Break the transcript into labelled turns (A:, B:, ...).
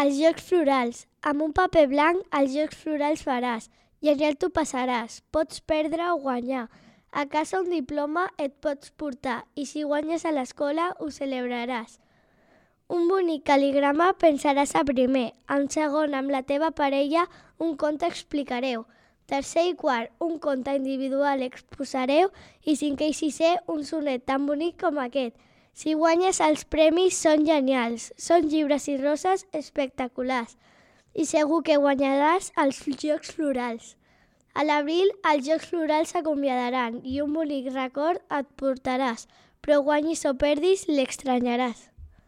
A: Els Jocs Florals. Amb un paper blanc, els Jocs Florals faràs i allà t'ho passaràs. Pots perdre o guanyar. A casa un diploma et pots portar i si guanyes a l'escola ho celebraràs. Un bonic cal·ligrama pensaràs a primer. En segon, amb la teva parella, un conte explicareu. Tercer i quart, un conte individual exposareu i cinquè i sisè, un sonet tan bonic com aquest. Si guanyes els premis són genials, són llibres i roses espectaculars i segur que guanyaràs els Jocs Florals. A l'abril els Jocs Florals s'acomiadaran i un bonic record et portaràs, però guanyis o perdis l'extranyaràs.